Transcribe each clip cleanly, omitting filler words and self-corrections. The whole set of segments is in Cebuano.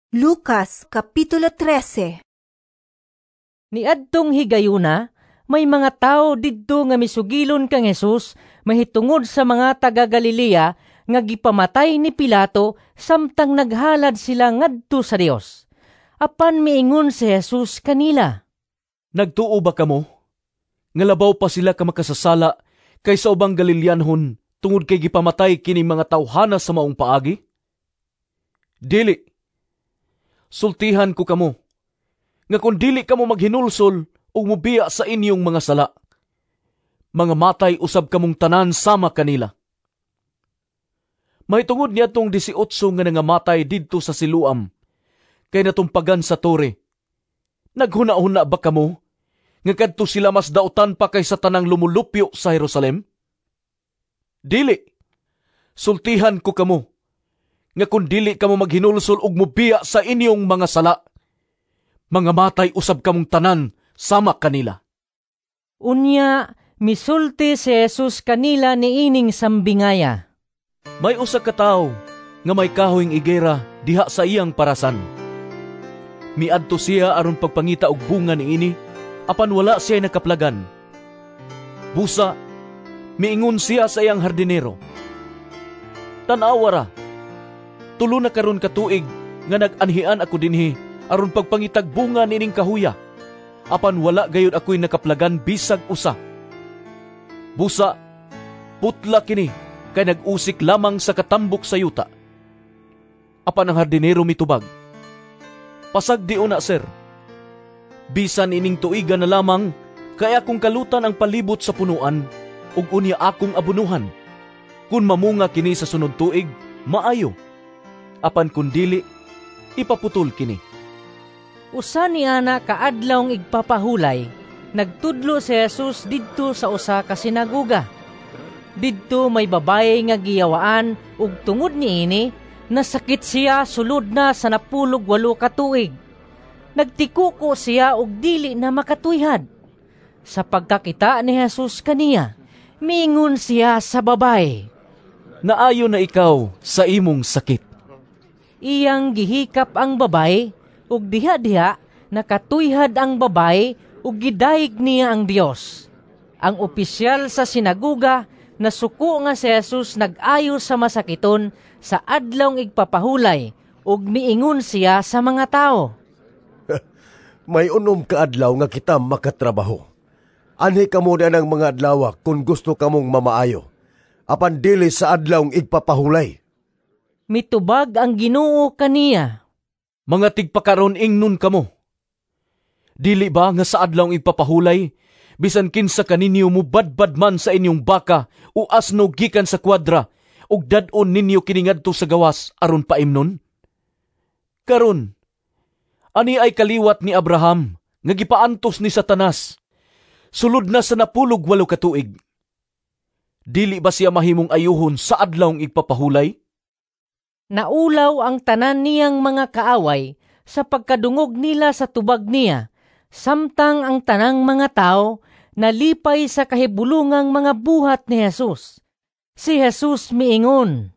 Lucas Kapitulo 13. Niadtong higayuna, may mga tawo didto nga misugilon kang Hesus mahitungod sa mga taga Galilea nga gipamatay ni Pilato samtang naghalad sila ngadto sa Dios. Apan miingon si Jesus kanila, "Nagtuo ba kamo nga labaw pa sila ka makasasala kaysa ubang Galileanhon tungod kay gipamatay kini mga tawhana sa maong paagi? Dili. Sultihan ko kamo nga kun dili kamo maghinulsol ug mobiya sa inyong mga sala, mga matay usab kamong tanan sama kanila. Mahitungod niadtong 18 nga nangamatay didto sa Siloam, kay natumpagan sa tore, naghuna-huna ba kamo nga kadto sila mas dautan pa kaysa tanang lumulupyo sa Jerusalem? Dili. Sultihan ko kamo nga kun dili kamo maghinulsol ug mobiya sa inyong mga sala, mga matay usab kamong tanan sama kanila." Unya, misulti si Jesus kanila niining sambingaya. "May usa ka tawo nga may kahoyng igera diha sa iyang parasan. Miadto siya aron pagpangita og bunga niini, apan wala siya nakaplagan. Busa, miingon siya sa iyang hardinero, 'Tan-awa ra, 3 na karon ka tuig nga nag-anhian ako dinhi aron pagpangitag bunga niining kahuya, apan wala gayud ako'y nakaplagan bisag usa. Busa, putla kini kay nag-usik lamang sa katambok sa yuta.' Apan ang hardinero mitubag, 'Pasagdi una, sir. Bisan ining tuiga na lamang, kay akong kalutan ang palibot sa punuan, ug unya akong abunuhan. Kun mamunga kini sa sunod tuig, maayo. Apan kun dili, ipaputol kini.'" Usa ni ana kaadlawng igpapahulay, nagtudlo si Jesus didto sa usa ka sinagoga. Didto may babaye nga giyawaan ug tungod niini nasakit siya sulod na sa 18 ka tuig. Nagtikuko siya ug dili na makatuyhad. Sa pagkakita ni Jesus kaniya, miingon siya sa babaye, "Naayo na ikaw sa imong sakit." Iyang gihikap ang babaye ug diha-diha nakatuyhad ang babaye ug gidayeg niya ang Dios. Ang opisyal sa sinagoga nasuko nga si Jesus nag-ayo sa masakiton sa adlawng igpapahulay ug miingon siya sa mga tawo, "May 6 ka adlaw nga kita makatrabaho. Anhi kamo na ng mga adlaw kung gusto kamong mamaayo, apan dili sa adlawng igpapahulay." Mitubag ang Ginoo kaniya, "Mga tigpakaron ingnon kamo. Dili ba nga sa adlawng igpapahulay, bisan kinsa kaninyo mubadbad man sa inyong baka o asno gikan sa kwadra, ug dad-on ninyo kini ngadto sa gawas aron paimnon? Karon, ani ay kaliwat ni Abraham nga gipaantos ni Satanas, sulod na sa 18 ka tuig. Dili ba siya mahimong ayuhon sa adlawng igpapahulay?" Naulaw ang tanan niyang mga kaaway sa pagkadungog nila sa tubag niya, samtang ang tanang mga tao nalipay sa kahibulungang mga buhat ni Jesus. Si Jesus miingon,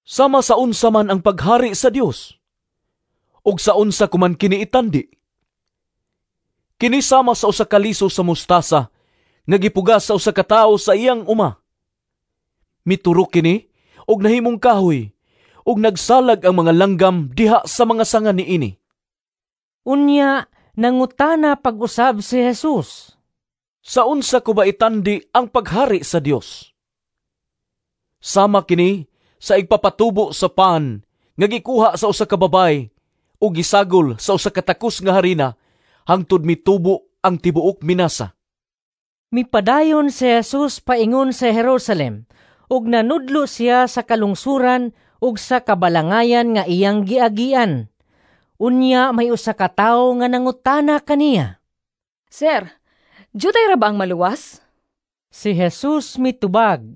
"Sama sa unsa man ang paghari sa Dios, ug sa unsa kuman kini itandi? Kini sama sa usa ka liso sa mustasa nga gipugas sa usa ka tawo sa iyang uma. Miturok kini ug nahimong kahoy, ug nagsalag ang mga langgam diha sa mga sanga niini." Unya, nangutana pag-usab si Jesus, "Sa unsa ko ba itandi ang paghari sa Dios? Sama kini sa igpapatubo sa pan nga gikuha sa usa ka babay ug gisagol sa usa ka takos nga harina hangtod mitubo ang tibuok minasa." Mipadayon si Jesus paingon sa Jerusalem ug nanudlo siya sa kalungsuran ug sa kabalangayan nga iyang giagian. Unya may usa ka tawo nga nangutana kaniya, "Sir, jutay ra ba ang maluwas?" Si Jesus mitubag,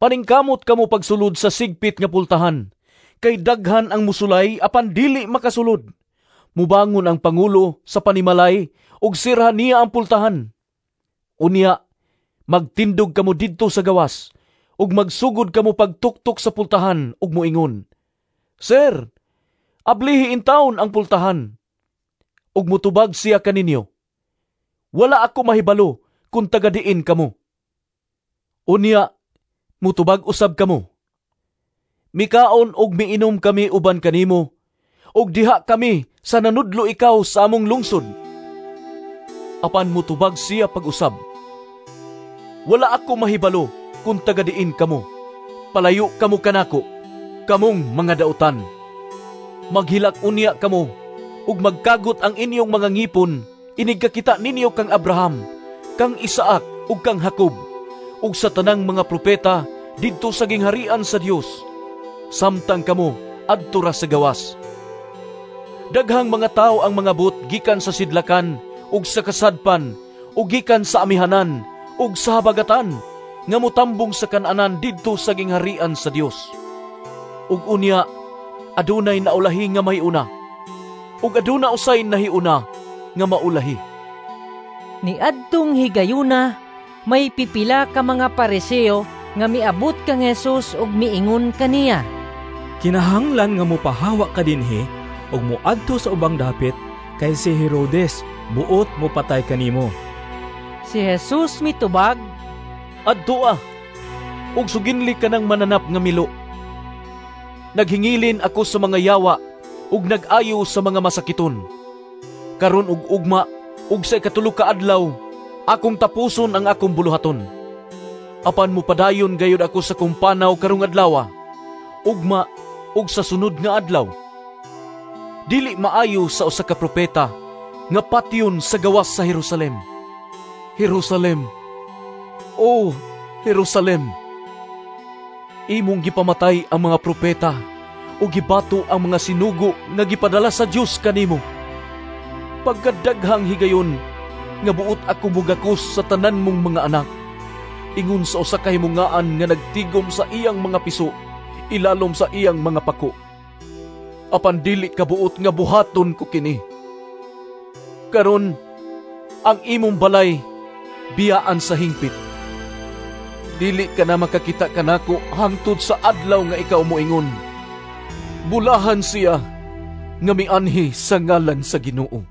"Paningkamot kamo pagsulod sa sigpit nga pultahan, kay daghan ang musulay apan dili makasulod. Mubangon ang pangulo sa panimalay ug sirhan niya ang pultahan. Unya, magtindog kamo didto sa gawas ug magsugod kamo pagtuktok sa pultahan ug moingon, 'Sir, Ablihi intawon ang pultahan." Ug mutubag siya kaninyo, "Wala ako mahibalo kung taga diin kamo." Unya, mutubag usab kamo, "Mikaon og miinom kami uban kanimo, ug diha kami sa nanudlo ikaw sa among lungsod." Apan mutubag siya pag-usab, "Wala ako mahibalo kung taga diin kamo. Palayo kamo kanako, kamong mga dautan." Maghilak unya kamo ug magkagot ang inyong mga ngipon inig kakita ninyo kang Abraham, kang Isaac ug kang Jacob ug sa tanang mga propeta didto sa gingharian sa Dios, samtang kamo adto ra sa gawas. Daghang mga tawo ang mangabot gikan sa sidlakan ug sa kasadpan ug gikan sa amihanan ug sa habagatan nga motambong sa kan-anan didto sa gingharian sa Dios. Ug unya adunay naulahi nga mahiuna, ug aduna usay nahiuna nga maulahi. Niadtong higayuna, may pipila ka mga Pariseo nga miabot kang Jesus ug miingon kaniya, "Kinahanglan nga mopahawa ka dinhi ug moadto sa ubang dapit kay si Herodes buot mopatay kanimo." Si Jesus mitubag, "Adtoa ug suginli ka ng mananap nga milo. Naghingilin ako sa mga yawa ug nag-ayo sa mga masakiton. Karon ug ugma ug sa 3 ka adlaw akong tapuson ang akong buluhaton. Apan mopadayon gayud ako sa kong panaw karong adlaw, ugma ug sa sunod nga adlaw. Dili maayo sa usa ka propeta nga patyon sa gawas sa Jerusalem. Jerusalem, oh Jerusalem, imong gipamatay ang mga propeta o gibato ang mga sinugo nga gipadala sa Dios kanimo. Pagkadaghang higayon nga buot ako mugakos sa tanan mong mga anak, ingon sa usa ka himungaan nga nagtigom sa iyang mga piso, ilalom sa iyang mga pako. Apan dili ka buot nga buhaton ko kini. Karon ang imong balay biyaan sa hingpit. Dili ka na makakita kanako hangtod sa adlaw nga ikaw moingon, 'Bulahan siya nga mianhi sa ngalan sa Ginoo.'"